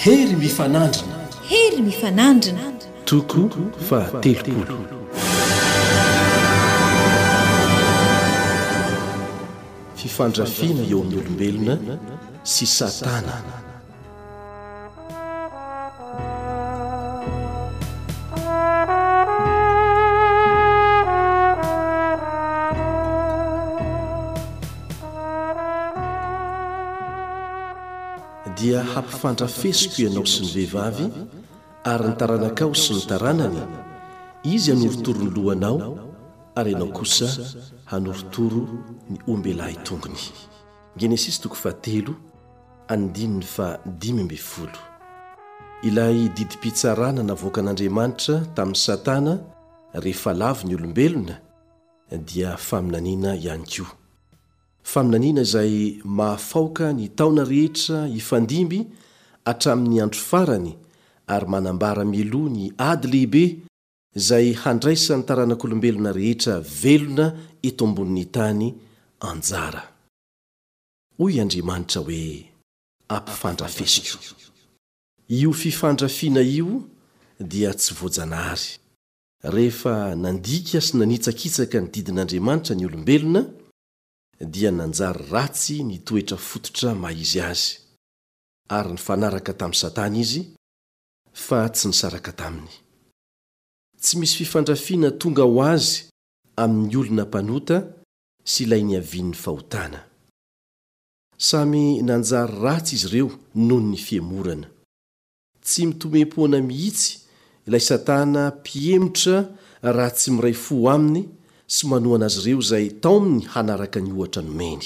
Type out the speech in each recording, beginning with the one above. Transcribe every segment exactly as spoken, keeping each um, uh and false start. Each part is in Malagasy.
Hery mifanandrina. Hery mifanandrina. Toko fahatelopolo. Fifandrafiana eo amin'ny olombelona sy Satana. Dia hampifandrafesiko ianao sy ny vehivavy, ary ny taranakao sy ny taranany, izy hanorotoro ny lohanao, ary ianao kosa hanorotoro ny ombelahy tongony. Genesisy toko fahatelo, andininy fahadimy ambin'ny folo. Ilay didim-pitsarana navoakan'Andriamanitra tamin'i Satana rehefa lavo ny olombelona dia faminaniana ihany koa. Faminaniana izay mahafaoka ny taona rehetra hifandimby hatramin'ny andro farany ary manambara mialoha ny ady lehibe izay handraisan'ny taranak'olombelona rehetra velona eto ambonin'ny tany anjara. Hoy Andriamanitra hoe, Ampifandrafesiko. Io fifandrafiana io dia tsy voajanahary. Rehefa nandika sy nanitsakitsaka ny didin'Andriamanitra ny olombelona, dia nanjary ratsy ny toetra fototra maha izy azy, ary nifanaraka tamin'i Satana izy, fa tsy nisaraka taminy. Tsy misy fifandrafiana tonga ho azy amin'ny olona mpanota sy ilay niavian'ny fahotana. Samy nanjary ratsy izy ireo noho ny fihemorana. Tsy mitomem-poana mihitsy ilay Satana mpihemotra raha tsy miray fo aminy sy manohana azy ireo izay taominy hanaraka ny ohatra nomeny.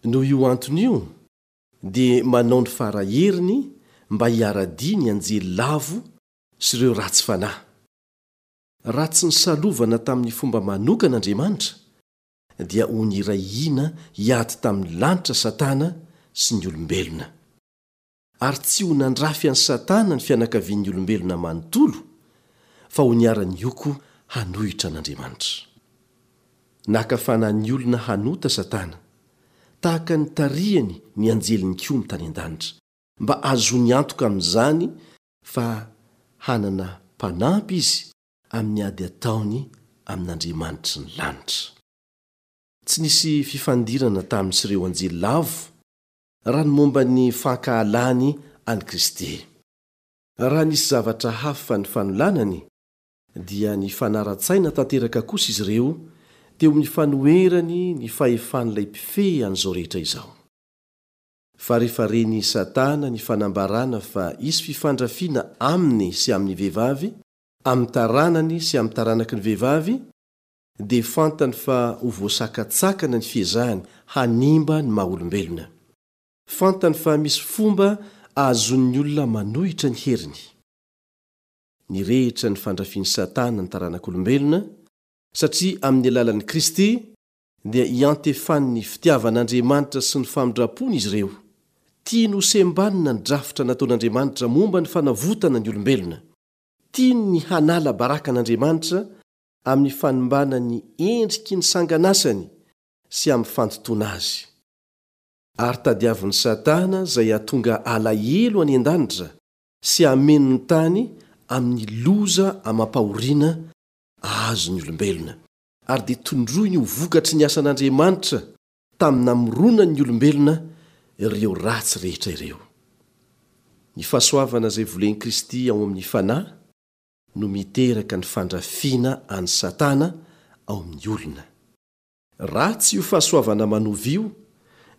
Noho io antony io, dia manao ny fara heriny mba hiara-dia ny anjely lavo sy ireo ratsy fanahy. Raha tsy nisalovana tamin'ny fomba manokana Andriamanitra, dia ho niray hina hiady tamin'ny lanitra Satana sy ny olombelona. Ary tsy ho nandrafy an'i Satana ny fianakavian'ny olombelona manontolo, fa ho niara-nioko hanohitra an'Andriamanitra. Naka fanahy ny olona hanota Satana, tahaka ny tarihany ny anjely nikomy tany an-danitra, mba hahazoany antoka amin'izany fa hanana mpanampy izy amin'ny ady ataony amin'Andriamanitry ny lanitra. Tsy nisy fifandirana taminy sy ireo anjely lavo raha ny momba ny fankahalany an'i Kristy. Raha nisy zavatra hafa nifanolanany, dia nifanara-tsaina tanteraka kosa izy ireo teo amin'ny fanoherany ny fahefan'ilay mpifehy an'izao rehetra izao. Fa rehefa ren'i Satana ny fanambarana fa hisy fifandrafiana aminy sy amin'ny vehivavy, amin'ny taranany sy amin'ny taranaky ny vehivavy, dia fantany fa ho voasakatsakana ny fiezahany hanimba ny maha-olombelona. Fantany fa misy fomba ahazoan'ny olona manohitra ny heriny. Nirehitra ny fandrafian'i Satana ny taranak'olombelona, satria amin'ny alalan'i Kristy dia iantefan'ny fitiavan'Andriamanitra sy ny famindrampony izy ireo. Tiany ho sembanina ny drafitra nataon'Andriamanitra momba ny fanavotana ny olombelona. Tiany ny hanala baraka an'Andriamanitra amin'ny fanimbana ny endriky ny sanganasany sy amin'ny fandotoana azy. Ary tadiavin'i Satana izay hahatonga alahelo any an-danitra sy hameno ny tany amin'ny loza amam-pahoriana ahazo ny olombelona, ary dia tondroiny ho vokatry ny asan'Andriamanitra tamin'ny namoronany ny olombelona ireo ratsy rehetra ireo. Ny fahasoavana izay volen'i Kristy ao amin'ny fanahy no miteraka ny fandrafiana an'i Satana ao amin'ny olona. Ratsy io fahasoavana manova io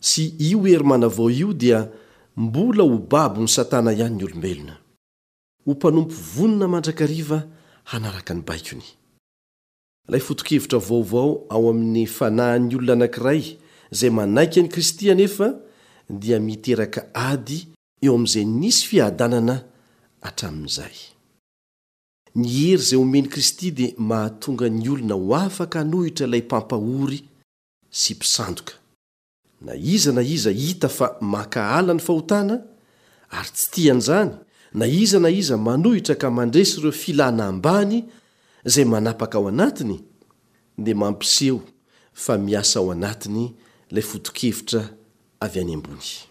sy io hery manavao io dia mbola ho babon'i Satana ihany ny olombelona. Ho mpanompo vonona mandrakariva hanaraka ny baikony. Ilay foto-kevitra vaovao ao amin'ny fanahin'ny olona anankiray izay manaiky an'i Kristy anefa dia miteraka ady eo amin'izay nisy fiadanana hatramin'izay. Ny hery izay omen'i Kristy dia mahatonga ny olona ho afaka hanohitra ilay mpampahory sy mpisandoka. Na iza na iza hita fa mankahala ny fahotana ary tsy tia an'izany, na iza na iza manohitra ka mandresy ireo filana ambany izay manapaka ao anatiny, dia mampiseho fa miasa ao anatiny ilay foto-kevitra avy any ambony.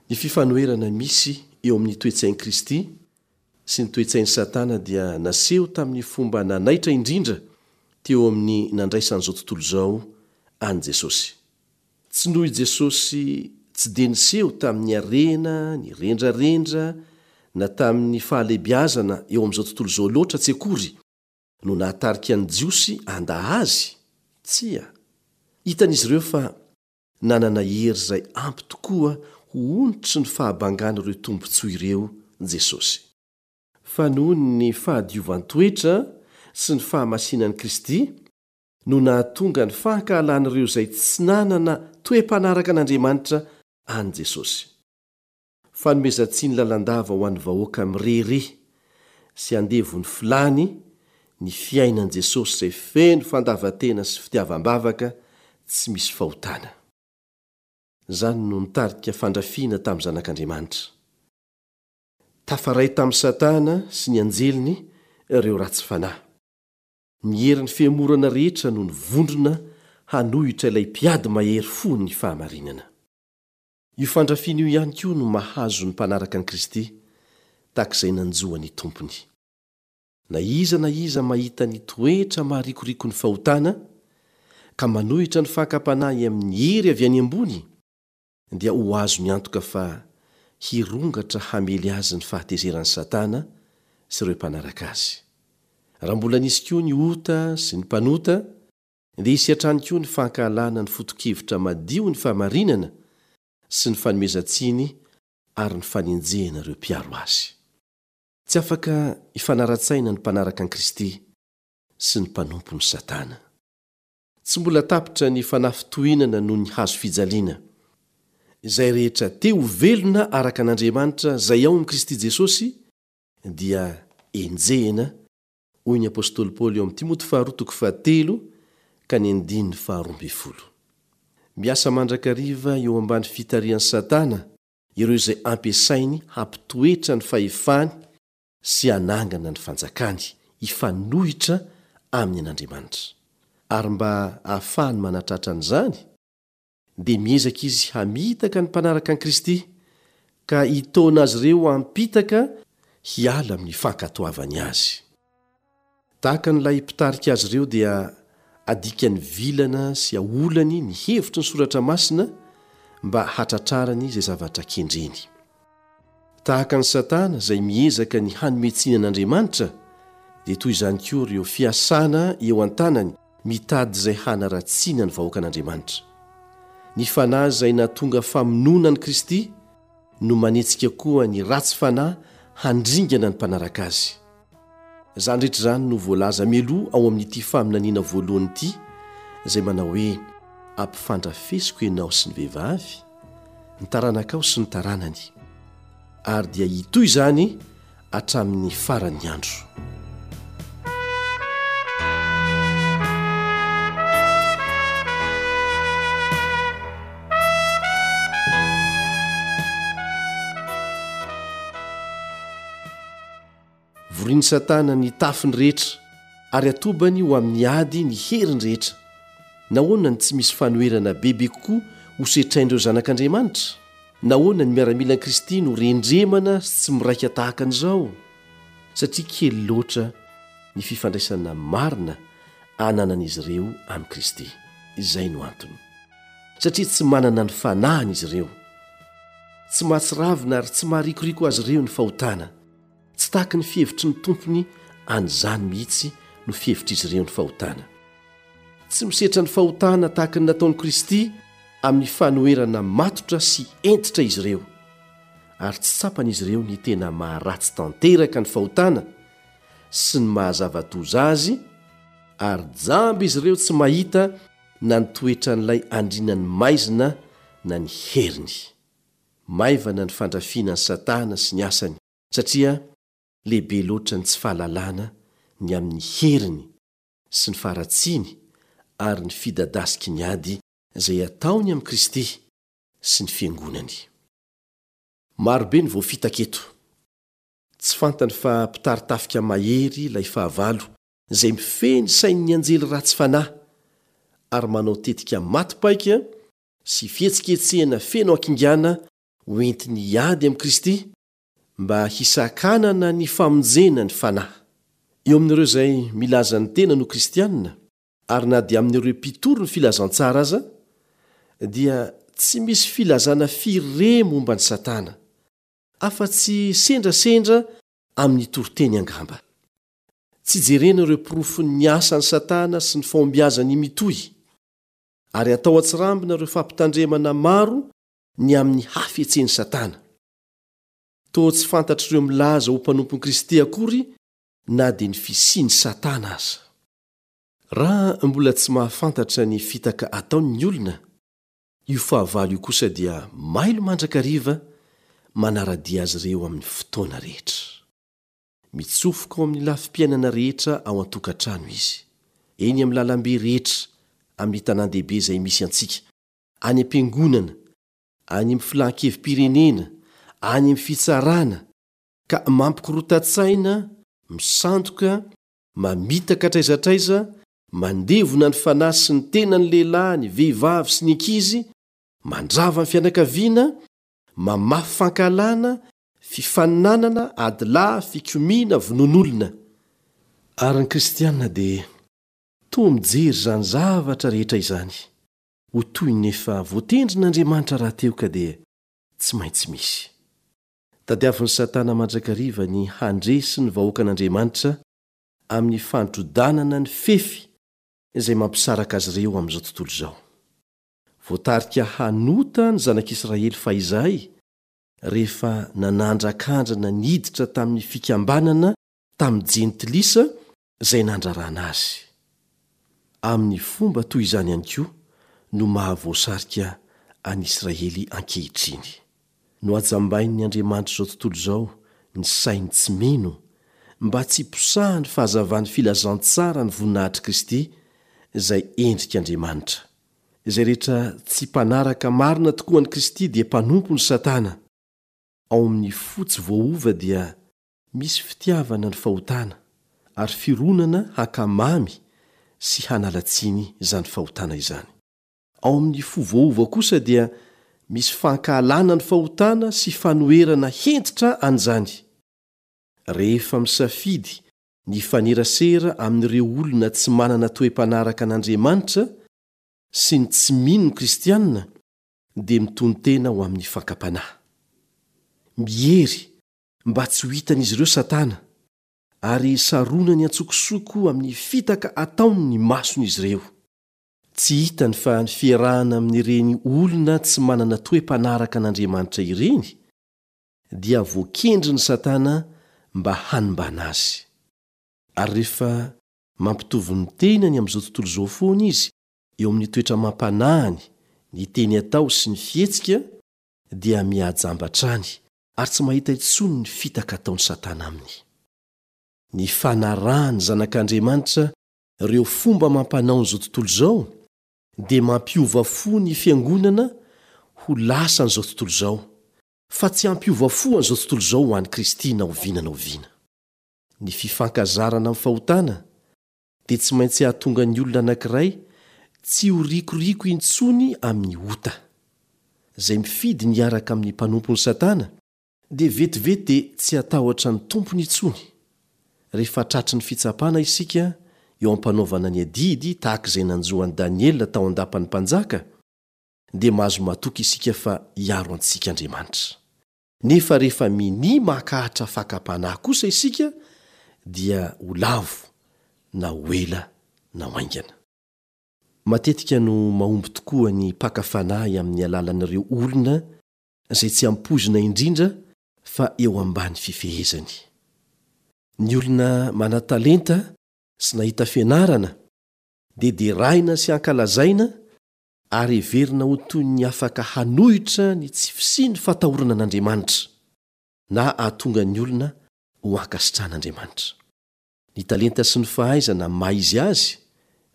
Ny fifanoherana misy eo amin'ny toe-tsain'i Kristy sy ny toe-tsain'i Satana dia naseho tamin'ny fomba nanaitra indrindra teo amin'ny nandraisan'izao tontolo izao an'i Jesosy. Tsy noho i Jesosy tsy dia niseho tamin'ny harena, ny rendrarendra, na tamin'ny fahalehibiazana eo amin'izao tontolo izao loatra tsy akory no nahatarika ny Jiosy handà Azy. Tsia. Hitan'izy ireo fa nanana hery izay ampy tokoa ho onitry ny fahabangan'ireo tombontsoa ireo Jesosy. Fa noho ny fahadiovan-toetra sy ny fahamasinan'i Kristy no nahatonga ny fankahalan'ireo izay tsy nanana toe-panaraka an'Andriamanitra an'i Jesosy. Fanomezan-tsiny lalandava ho an'ny vahoaka mirehareha sy andevon'ny filàny ny fiainan'i Jesosy izay feno fandavan-tena sy fitiavam-bavaka tsy misy fahotana. Izany no nitarika fandrafiana tamin'ny Zanak'Andriamanitra. Tafaray tamin'i Satana sy ny anjeliny ireo ratsy fanahy. Ny herin'ny fihemorana rehetra no nivondrona hanohitra ilay mpiady mahery fo ny fahamarinana. Io fandrafiana io ihany koa no mahazo ny mpanaraka an'i Kristy tahaka izay nanjo an'ny Tompony. Na iza na iza mahita ny toetra maharikoriko ny fahotana ka manohitra ny fakam-panahy amin'ny hery avy any ambony dia ho azony antoka fa hirongatra hamely azy ny fahatezeran'i Satana sy ireo mpanaraka azy. Raha mbola nisy koa ny ota sy ny mpanota, dia hisy hatrany koa ny fankahalana ny foto-kevitra madio ny fahamarinana sy ny fanomezan-tsiny ary ny fanenjehana ireo mpiaro azy. Tsy afaka hifanara-tsaina ny mpanaraka an'i Kristy sy ny mpanompon'i Satana. Tsy mbola tapitra ny fanafintohinana noho ny hazo fijaliana. Izay rehetra te ho velona araka an'Andriamanitra izay ao amin'i Kristy Jesosy dia enjehina, hoy ny apostoly Paoly eo amin'ny Timoty faharoa toko fahatelo ka ny andininy faharoa ambin'ny folo. Miasa mandrakariva eo ambany fitarihan'i Satana ireo izay ampiasainy hampitoetra ny fahefany sy hanangana ny fanjakany hifanohitra amin'ny an'Andriamanitra. Ary mba ahafahany manatratra an'izany, dia miezaka izy hamitaka ny mpanaraka an'i Kristy ka hitaona azy ireo hampitaka hiala amin'ny fankatoavany azy. Tahaka an'ilay mpitarika azy ireo dia adikany vilana sy aolany ny hevitry ny soratra masina mba hatratrarany izay zavatra kendreny. Tahaka an'i Satana izay miezaka ny hanome tsiny an'Andriamanitra, dia toy izany koa ireo fiasana eo an-tanany mitady izay hanaratsiana ny vahoakan'Andriamanitra. Ny fanahy izay nahatonga famonoana an'i Kristy no manetsika koa ny ratsy fanahy handringana ny mpanaraka azy. Izany rehetra izany no voalaza mialoha ao amin'ity faminaniana voalohany ity izay manao hoe ampifandrafesiko ianao sy ny vehivavy, ny taranakao sy ny taranany. Ary dia hitohy izany hatramin'ny faran'ny andro. Vorin'i Satana ny tafiny rehetra ary atobany ho amin'ny ady ny heriny rehetra. Nahoana no tsy misy fanoherana bebe kokoa ho setrain'ireo zanak'Andriamanitra? Nahoana ny miaramilan'i Kristy no rendremana sy tsy miraika tahaka an'izao? Satria kely loatra ny fifandraisana marina ananan'izy ireo amin'i Kristy. Izay no antony. Satria tsy manana ny fanahiny izy ireo. Tsy mahatsiravina ary tsy maharikoriko azy ireo ny fahotana. Tsy tahaky ny fihevitry ny tompony an'izany mihitsy no fihevitr'izy ireo ny fahotana. Tsy misetra ny fahotana tahaka ny nataon'i Kristy amin'ny fanoherana matotra sy hentitra izy ireo. Ary tsy tsapan'izy ireo ny tena maharatsy tanteraka ny fahotana sy ny mahazava-doza azy, ary jamba izy ireo tsy mahita na ny toetran'ilay andrinan'ny maizina na ny heriny. Maivana ny fandrafiana an'i Satana sy ny asany, satria lehibe loatra ny tsy fahalalana ny amin'ny heriny sy ny faharatsiany ary ny fidadasiky ny ady izay ataony amin'i Kristy sy ny fiangonany. Marobe ny voafitaka eto. Tsy fantany fa mpitari-tafika mahery ilay fahavalo izay mifehy ny sain'ny anjely ratsy fanahy ary manao tetika maty paika sy fihetsiketsehana feno hakingana ho entiny hiady amin'i Kristy mba hisakanana ny famonjena ny fanahy. Eo amin'ireo izay milaza ny tenany ho kristiana, ary na dia amin'ireo mpitory ny filazantsara aza, dia tsy misy filazana firy re momba an'i Satana, afa-tsy sendrasendra amin'ny toriteny angamba. Tsy jerena ireo porofon'ny asan'i Satana sy ny fahombiazany mitohy, ary atao an-tsirambina ireo fampitandremana maro ny amin'ny hafetsen'i Satana. Toa tsy fantatr'ireo milaza ho mpanompon'i Kristy akory na dia ny fisian'i Satana aza. Raha mbola tsy mahafantatra ny fitaka ataony ny olona, io fahavalo io kosa dia mailo mandrakariva manara-dia azy ireo amin'ny fotoana rehetra. Mitsofoka ao amin'ny lafim-piainana rehetra ao an-tokantrano izy, eny amin'ny lalambe rehetra amin'ny tanàn-dehibe izay misy antsika, any am-piangonana, any amin'ny filan-kevi-pirenena, any amin'ny fitsarana, ka mampikorontan-tsaina, misandoka, mamitaka hatraiza hatraiza, mandevona ny fanahy sy ny tenan'ny lehilahy, ny vehivavy sy ny ankizy, mandrava ny fianakaviana, mamafy fankahalana, fifaninanana, adilahy, fikomiana, vonoan'olona. Ary ny kristiana dia toa mijery izany zavatra rehetra izany ho toy ny efa voatendrin'Andriamanitra rahateo ka dia tsy maintsy misy. Tadiavin'i Satana mandrakariva ny handresy ny vahoakan'Andriamanitra amin'ny fandrodanana ny fefy izay mampisaraka azy ireo amin'izao tontolo izao. Voatarika hanota ny zanak'Israely fahizay rehefa nanandrakandrana niditra tamin'ny fikambanana tamin'ny jentilisa izay nandrarana azy. Amin'ny fomba toy izany ihany koa no mahavoasarika an'i Israely ankehitriny. Nohajambain'ny Andriamanitr'izao tontolo izao ny sainy tsy mino mba tsy hiposahan'ny fahazavan'ny filazantsara ny voninahitr'i Kristy izay endrik'Andriamanitra. Izay rehetra tsy mpanaraka marina tokoa an'i Kristy dia mpanompon'i Satana. Ao amin'ny fo tsy voaova dia misy fitiavana ny fahotana ary fironana hankamamy sy hanala tsiny izany fahotana izany. Ao amin'ny fo voaova kosa dia misy fankahalana ny fahotana sy fanoherana hentitra an'izany. Rehefa misafidy ny hifanerasera amin'ireo olona tsy manana toe-panaraka an'Andriamanitra sy ny tsy mino ny kristiana dia mitonon-tena ho amin'ny fakam-panahy. Miery mba tsy ho hitan'izy ireo Satana, ary saronany an-tsokosoko amin'ny fitaka ataony ny mason'izy ireo. Tsy hitany fa ny fiarahana amin'ireny olona tsy manana toe-panaraka an'Andriamanitra ireny dia voakendrin'i Satana mba hanimbana azy. Ary rehefa mampitovy ny tenany amin'izao tontolo izao foana izy eo amin'ny toetra amam-panahiny, ny teny atao sy ny fihetsika, dia mihajamba hatrany ary tsy mahita intsony ny fitaka ataon'i Satana aminy. Ny fanarahan'ny zanak'Andriamanitra ireo fomba amam-panaon'izao tontolo izao dia mampiova fo ny fiangonana ho lasan'izao tontolo izao, fa tsy hampiova fo an'izao tontolo izao ho an'i Kristy na oviana na oviana. Ny fifankazarana amin'ny fahotana dia tsy maintsy hahatonga ny olona anankiray tsy ho rikoriko intsony amin'ny ota. Izay mifidy ny hiaraka amin'ny mpanompon'i Satana dia vetivety dia tsy hatahotra ny tompony intsony. Rehefa tratry ny fitsapana isika eo am-panaovana ny adidy tahaka izay nanjo an'i Daniela tao an-dapan'ny mpanjaka, dia mahazo matoky isika fa hiaro antsika Andriamanitra. Nefa rehefa minia mankahatra fakam-panahy kosa isika dia ho lavo na ho ela na ho haingana. Matetika no mahomby tokoa ny mpaka fanahy amin'ny alalan'ireo olona izay tsy ampoizina indrindra fa eo ambany fifehezany. Ny olona manan-talenta sy nahita fianarana dia deraina sy ankalazaina ary heverina ho toy ny afaka hanohitra ny tsy fisian'ny fatahorana an'Andriamanitra na hahatonga ny olona ho ankasitrahan'Andriamanitra. Ny talenta sy ny fahaizana maha izy azy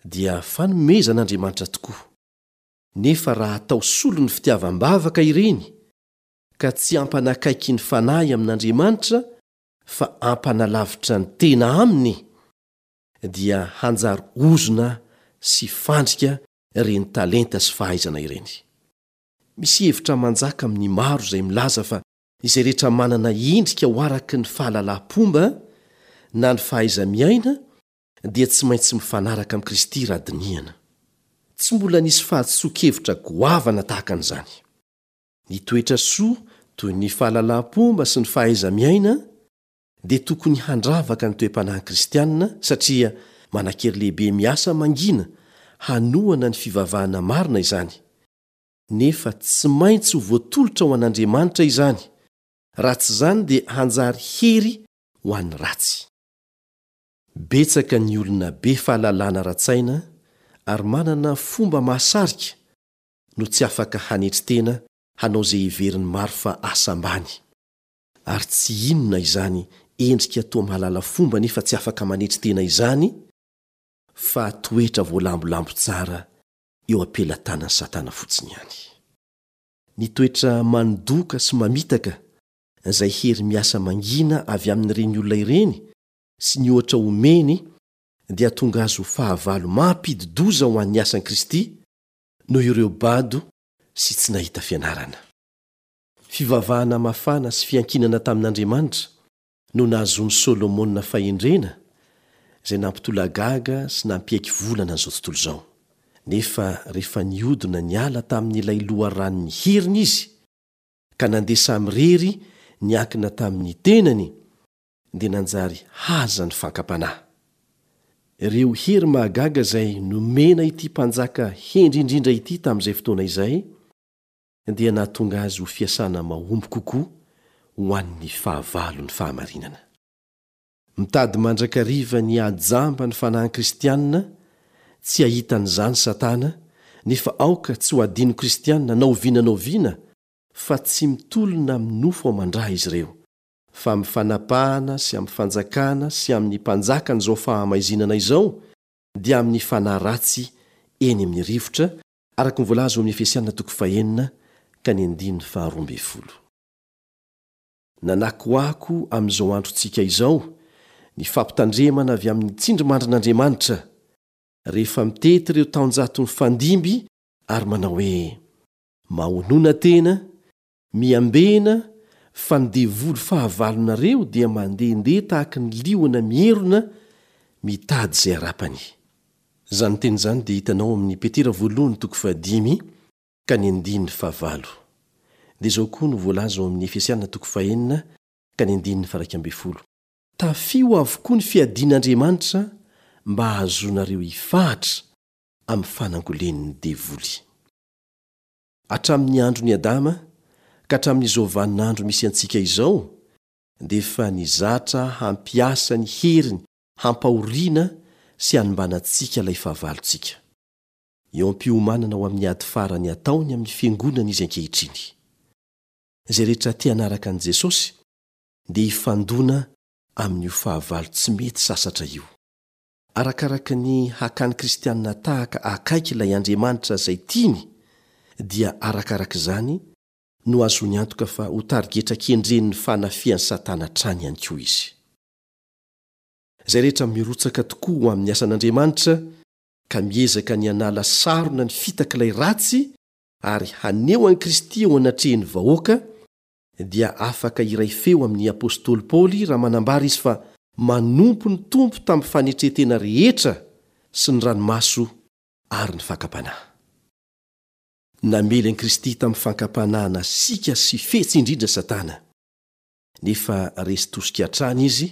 dia fanomezan'Andriamanitra tokoa. Nefa raha atao solon'ny fitiavam-bavaka ireny, ka tsy hampanakaiky ny fanahy amin'Andriamanitra fa hampanalavitra ny tena aminy, dia hanjary ozona sy fandrika ireny talenta sy fahaizana ireny. Misy hevitra manjaka amin'ny maro izay milaza fa Izay rehetra manana endrika ho araka ny fahalalam-pomba na ny fahaiza-miaina dia tsy maintsy mifanaraka amin'i Kristy raha dinihana. Tsy mbola nisy fahadisoan-kevitra goavana tahaka an'izany. Ny toetra soa toy ny fahalalam-pomba sy ny fahaiza-miaina dia tokony handravaka ny toe-panahin'ny Kristianina satria manan-kery lehibe miasa mangina hanohana ny fivavahana marina izany. Nefa tsy maintsy ho voatolotra ho an'Andriamanitra izany, raha tsy izany dia hanjary hery ho an'ny ratsy. Betsaka ny olona be fahalalana ara-tsaina ary manana fomba mahasarika no tsy afaka hanetry tena hanao izay heverin'ny maro fa asa ambany. Ary tsy inona izany endrika toa mahalala fomba nefa tsy afaka manetry tena izany fa toetra voalambolambo tsara eo am-pelatanan'i Satana fotsiny ihany. Ny toetra mandoka sy mamitaka izay hery miasa mangina avy amin'ireny olona ireny sy ny ohatra omeny dia tonga azy ho fahavalo mampidi-doza ho an'ny asan'i Kristy noho ireo bado sy tsy nahita fianarana. Fivavahana mafana sy fiankinana tamin'Andriamanitra no nahazoan'i Solomona fahendrena izay nampitolagaga sy nampiaiky volana an'izao tontolo izao. Nefa rehefa nihodina niala tamin'ilay loharanon'ny heriny izy, ka nandeha samirery niankina tamin'ny tenany, dia nanjary haza ny fankam-panahy. Ireo hery mahagaga izay nomena ity mpanjaka hendry indrindra ity tamin'izay fotoana izay dia nahatonga azy ho fiasana mahomby kokoa ho an'ny fahavalon'ny fahamarinana. Mitady mandrakariva ny hahajamba ny fanahin'ny Kristianina tsy hahita an'izany Satana, nefa aoka tsy ho adino Kristianina na oviana na oviana fa tsy mitolona amin'ny nofo aman-dra izy ireo, fa amin'ny fanapahana sy amin'ny fanjakana sy amin'ny mpanjakan'izao fahamaizinana izao dia amin'ny fanahy ratsy eny amin'ny rivotra, araka ny voalaza ao amin'ny Efesiana toko fahenina ka ny andininy faharoa ambin'ny folo. Nanakoako amin'izao androntsika izao ny fampitandremana avy amin'ny tsindrimandrin'Andriamanitra rehefa mitety ireo taonjato mifandimby ary manao hoe, Mahonona tena, miambena fa ny devoly fahavalonareo dia mandehandeha tahaka ny liona mierona mitady izay harapany. Izany teny izany dia hitanao amin'ny Petera voalohany toko fahadimy ka ny andininy fahavalo. Dia izao koa no voalaza ao amin'ny Efesiana toko fahenina ka ny andininy faharaika ambin'ny folo, Tafio avokoa ny fiadian'Andriamanitra mba hahazoanareo hifahatra amin'ny fanangolen'ny devoly. Hatramin'ny andron'i Adama ka hatramin'izao vaninandro misy antsika izao dia efa nizatra hampiasa ny heriny hampahoriana sy hanimbana antsika ilay fahavalontsika. Eo am-piomanana ho amin'ny ady farany ataony amin'ny fiangonana izy ankehitriny. Izay rehetra te hanaraka an'i Jesosy dia hifandona amin'io fahavalo tsy mety sasatra io. Arakaraka ny hakan'ny Kristianina tahaka akaiky ilay Andriamanitra izay tiany dia arakaraka izany no ahazoany antoka fa ho tarigetra kendren'ny fanafihan'i Satana hatrany ihany koa izy. Izay rehetra mirotsaka tokoa ho amin'ny asan'Andriamanitra ka miezaka ny hanala sarona ny fitak'ilay ratsy ary haneho an'i Kristy eo anatrehan'ny vahoaka dia afaka hiray feo amin'ny apostoly Paoly raha manambara izy fa manompo ny Tompo tamin'ny fanetren-tena rehetra sy ny ranomaso ary ny fakam-panahy. Namely an'i Kristy tamin'ny fankam-panahy nasiaka sy fetsy indrindra Satana, nefa resy tosika hatrany izy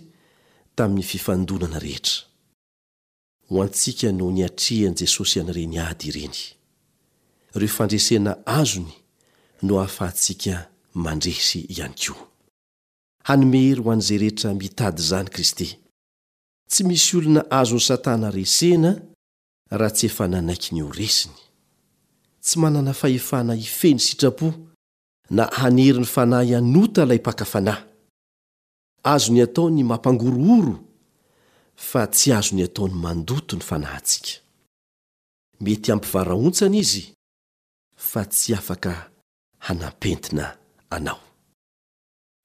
tamin'ny fifandonana rehetra. Ho antsika no niatrehan'i Jesosy an'ireny ady ireny. Ireo fandresena azony no ahafahantsika mandresy ihany koa. Hanome hery ho an'izay rehetra mitady izany Kristy. Tsy misy olona azon'i Satana resena raha tsy efa nanaiky ny ho resiny. Tsy manana fahefana hifehy ny sitrapo na hanery ny fanahy hanota ilay mpaka fanahy. Azony atao ny mampangorohoro fa tsy azony atao ny mandoto ny fanahintsika. Mety hampivarahontsana izy fa tsy afaka hanampentina anao.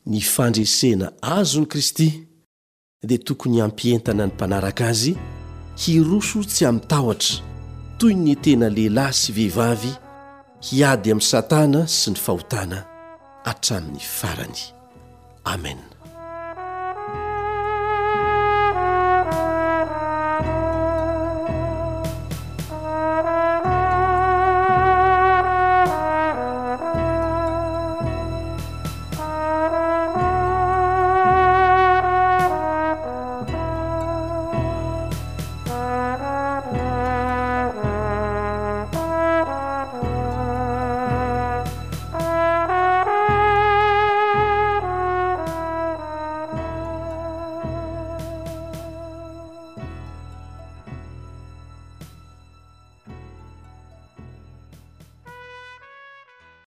Ny fandresena azon'i Kristy dia tokony hampientana ny mpanaraka azy hiroso tsy amin-tahotra toy ny tena lehilahy sy vehivavy hiady amin'i Satana sy ny fahotana hatramin'ny farany. Amena.